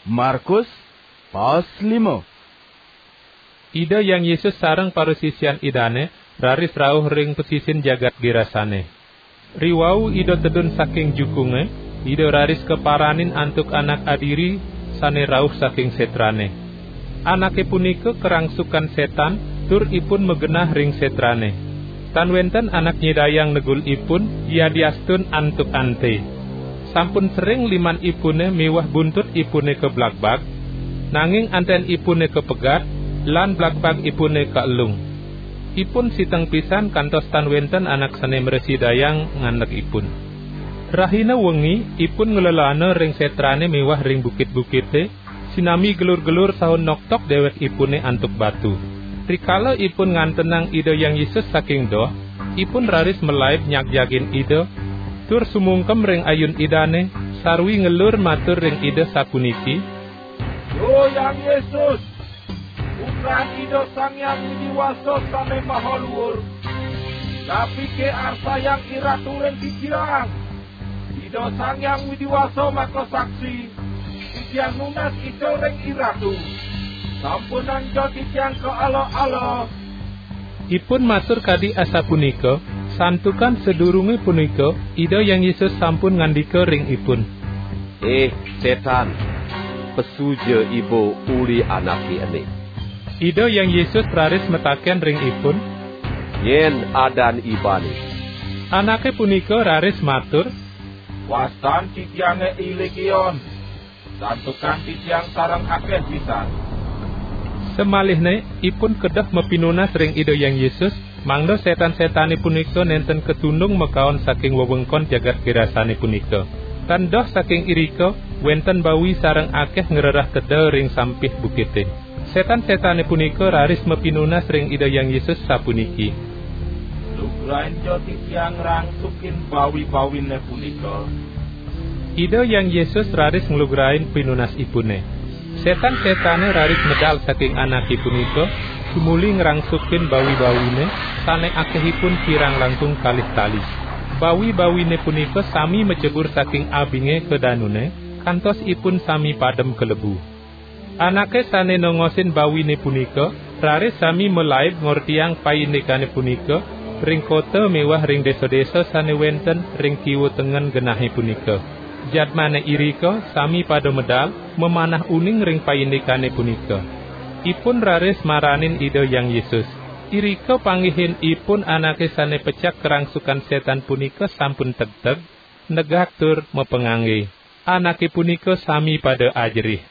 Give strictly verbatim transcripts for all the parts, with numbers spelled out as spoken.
Markus, pas lima. Ida Hyang Yesus sareng parasisian Idane raris rauh ring pasisin jagat Gerasane. Riwau Ida tedun saking jukunge, Ida raris kaparanin antuk anak adiri sane rauh saking setrane. Anake punika karangsukan setan, tur ipun magenah ring setrane. Tan wenten anak nyidayang negul ipun, yadiastun antuk ante. Sampun sering liman ipune miwah buntut ipune kablagbag, nanging anten ipune kapegat, lan blagbag ipune kaelung. Ipun siteng pisan kantos tan wenten anak sane mrasidayang ngandeg ipun. Rahina wengi, ipun nglelana ring setrane miwah ring bukit-bukite, sinami gelur-gelur saha noktok dewekipune antuk batu. Rikala ipun ngantenang Ida Hyang Yesus saking doh, ipun raris malaib nyagjagin Ida, tur sumungkem ring ayun Idane, sarwi ngelur matur ring Ida sapuniki: "Duh Hyang Yesus, Putra Ida Sang Hyang Widi Wasa sane maha luur, napike arsayang IRatu ring titiang? Ida Sang Hyang Widi Wasa maka saksi, titiang nunas ica ring IRatu. Sampunangja titiang kaala-ala." Ipun matur kadi asapunika, santukan sadurunge punika Ida Hyang Yesus sampun ngandika ring ipun: "Ih, setan, pesuja iba uli anake ene." Ida Hyang Yesus raris mataken ring ipun: "Nyen adan ibane?" Anake punika raris matur: "Wastan titiange I Legion, santukan titiang sareng akeh pisan." Samalihne ipun kedah mapinunas ring Ida Hyang Yesus, mangda setan-setane punika nenten katundung makaon saking wewengkon jagat Gerasane punika. Tan doh saking irika, wenten bawi sareng akeh ngrereh teda ring sampih bukite. Setan-setane punika raris mapinunas ring Ida Hyang Yesus sapuniki: "Lugrainja titiang ngrangsukin bawi-bawine punika." Ida Hyang Yesus raris nglugrain pinunasipune. Setan-setane raris medal saking anake punika, tumuli ngrangsukin bawi-bawine, sane akehipun kirang langkung kalih tali. Bawi-bawine punika sami macebur saking abinge ka danune, kantos ipun sami padem kalebu. Anake sane nongosin bawine punika raris sami malaib ngortiang paindikane punika ring kota miwah ring desa-desa sane wenten ring kiwa tengen genahe punika. Jadmane irika sami pada medal mamanah uning ring paindikane punika. Ipun raris maranin Ida Hyang Yesus. Irika panggihin ipun anake sane pecak karangsukan setan punika sampun tegteg, negak tur mapangangge. Anake punika sami pada ajerih.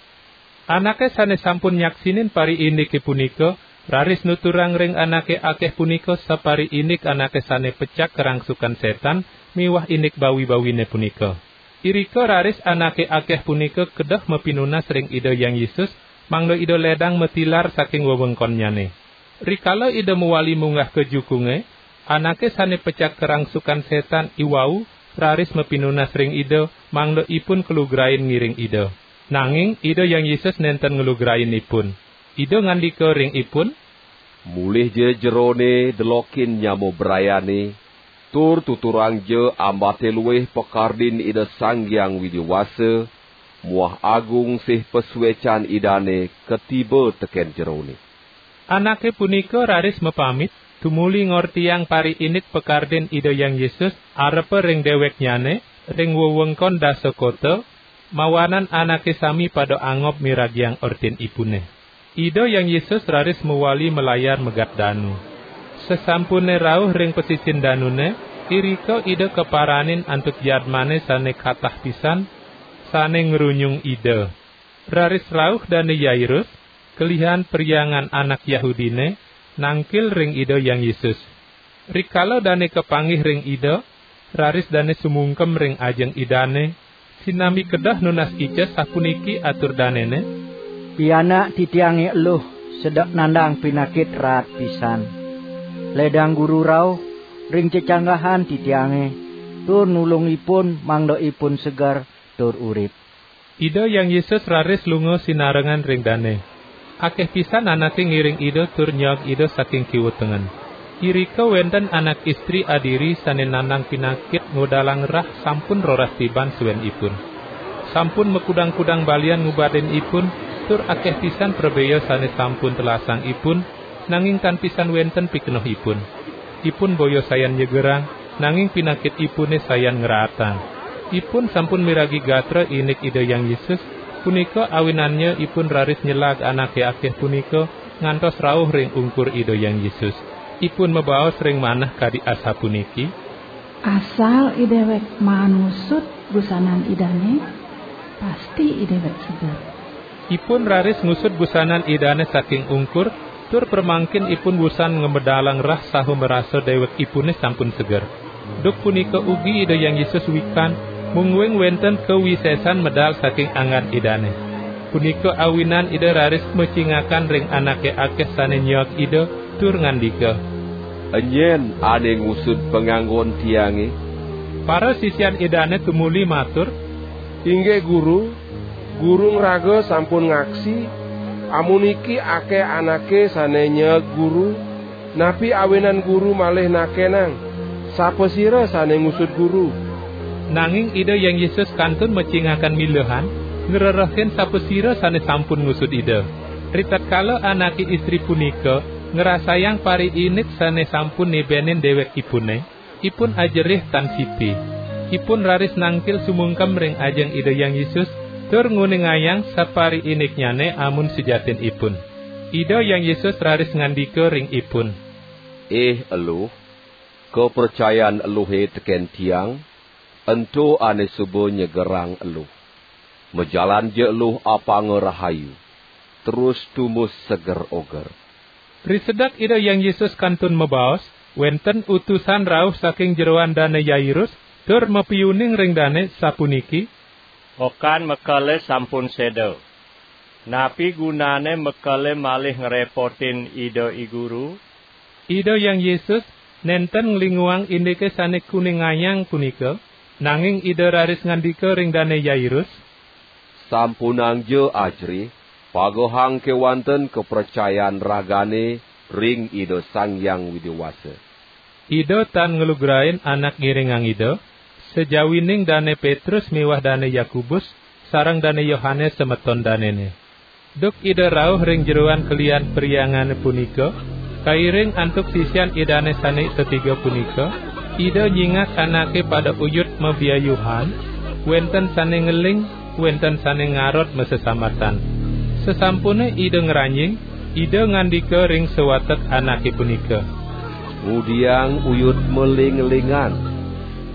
Anake sane sampun nyaksinin pariindike punika raris nuturang ring anake akeh punika sapariindik anake sane pecak karangsukan setan miwah indik bawi-bawine punika. Irika raris anake akeh punika kedah mapinunas ring Ida Hyang Yesus, mangda Ida ledang matilar saking wewengkonnyane. Rikala Ida mawali munggah ka jukunge, anake sane pecak karangsukan setan iwau raris mapinunas ring Ida, mangda ipun kalugrain ngiring Ida. Nanging Ida Hyang Yesus nenten nglugrain ipun. Ida ngandika ring ipun: "Mulihja jerone delokin nyama brayane, tur tuturangja ambate luih pakardin Ida Sang Hyang Widi Wasa muah agung sih pasuecan Idane katiba teken jerone." Anake punika raris mapamit, tumuli ngortiang pariindik pakardin Ida Hyang Yesus arepa ring deweknyane, ring wewengkon dasa kota, mawanan anake sami pada angob miragiang ortinipune. Ida Hyang Yesus raris mawali malayar megat danu. Sasampune rauh ring pasisien danune, irika Ida kaparanin antuk jadmane sane katah pisan, sane ngrunyung Ida. Raris rauh Dane Yairus, kelihan perhyangan anak Yahudine, nangkil ring Ida Hyang Yesus. Rikala dane kapanggih ring Ida, raris dane sumungkem ring ajeng Idane, sinambi kedah nunas ica, sapuniki atur danene: "Pianak titiange eluh sedek nandang pinakit raat pisan. Ledang Guru rauh ring cecanggahan titiange, tur nulung ipun mangda ipun seger tur urip." Ida Hyang Yesus raris lunga sinarengan ring dane. Akeh pisan anake ngiring Ida tur nyaag Ida saking kiwa tengen. Irika wenten anak istri adiri sane nandang pinakit ngudalang rah sampun roras tiban suenipun. Sampun makudang-kudang balian ngubadin ipun, tur akeh pisan prabea sane sampun telasang ipun, nanging tan pisan wenten pikenoh ipun. Ipun boya sayan nyegerang, nanging pinakit ipune sayan ngraatang. Ipun sampun miragi gatra indik Ida Hyang Yesus, punika awinannya ipun raris nyelag anake akeh punika ngantos rauh ring ungkur Ida Hyang Yesus. Ipun mabaos ring manah kadi asapuniki, "Asal idewek maan ngusud busanan Idane, pasti idewek seger." Ipun raris ngusud busanan Idane saking ungkur, tur pramangkin ipun wusan ngamedalang rah saha marasa dewekipune sampun seger. Duk punika ugi Ida Hyang Yesus wikan, mungguing wenten kawisesan medal saking anggan Idane. Punika awinan Ida raris macingakan ring anake akeh sane nyeeg Ida, tur ngandika, "Enyen ane ngusud panganggon tiange?" Parasisian Idane tumuli matur, "Inggih Guru, Guru ngraga sampun ngaksi, amuniki akeh anake sane nyeeg Guru, napi awinan Guru malih nakenang, sapasira sane ngusud Guru?" Nanging Ida Hyang Yesus kantun macingakan milehan, ngrerehin sapasira sane sampun ngusud Ida. Ritatkala anake istri punika ngrasayang pariindik sane sampun nibenin dewekipune, ipun ajerih tan siti. Ipun raris nangkil sumungkem ring ajeng Ida Hyang Yesus, tur nguningayang sapariindiknyane amun sujatinipun. Ida Hyang Yesus raris ngandika ring ipun, "Ih eluh, kapracayan eluhe teken Tiang, ento ane suba nyegerang eluh. Majalanja eluh apanga rahayu, terus tumbus seger oger." Risedek Ida Hyang Yesus kantun mabaos, wenten utusan rauh saking jeroan Dane Yairus, tur mapiuning ring dane sapuniki, "Okan mekele sampun seda. Napi gunane mekele malih ngrepotin Ida I Guru?" Ida Hyang Yesus nenten nglinguang indike sane kuningayang punika, nanging Ida raris ngandika ring Dane Yairus, "Sampunangja ajerih, pagehang kewanten kapracayan ragane ring Ida Sang Hyang Widi Wasa." Ida tan nglugrain anak ngiringang Ida, sajawining Dane Petrus miwah Dane Yakobus, sareng Dane Yohanes semeton danene. Duk Ida rauh ring jeroan kelian perhyangane punika, kairing antuk sisian Idane sane tetiga punika, Ida nyingak anake pada uyut mabiayuhan, wenten sane ngeling, wenten sane ngarot masesambatan. Sasampune Ida ngranjing, Ida ngandika ring sawatek anake punika, "Ngudiang uyut maling-lingan.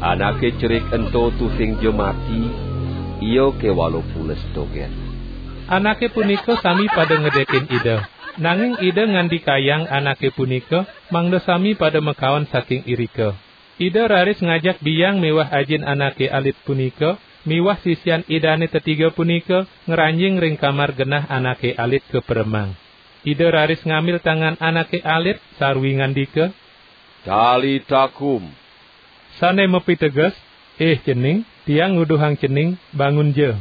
Anake cerik ento tusingja mati, ia kewala pules dogen." Anake punika sami pada ngedekin Ida. Nanging Ida ngandikayang anake punika, mangda sami pada makaon saking irika. Ida raris ngajak biang miwah ajin anake alit punika, miwah sisian Idane tetiga punika ngranjing ring kamar genah anake alit kaperemang. Ida raris ngambil tangan anake alit sarwi ngandika, "Talita kum." Sane mapiteges, "Ih cening, Tiang nguduhang cening, bangunja."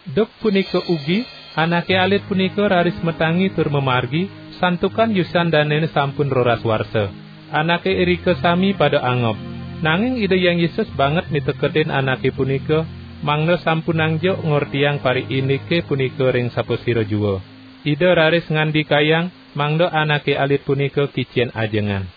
Duk punika ugi, anake alit punika raris matangi tur mamargi, santukan yusan danene sampun roras warsa. Anake irika sami pada angob. Nanging Ida Hyang Yesus banget miteketin anake punika, mangda sampunangja ngortiang pariindike punika ring sapasira jua. Ida raris ngandikayang, mangda anake alit punika kicen ajengan.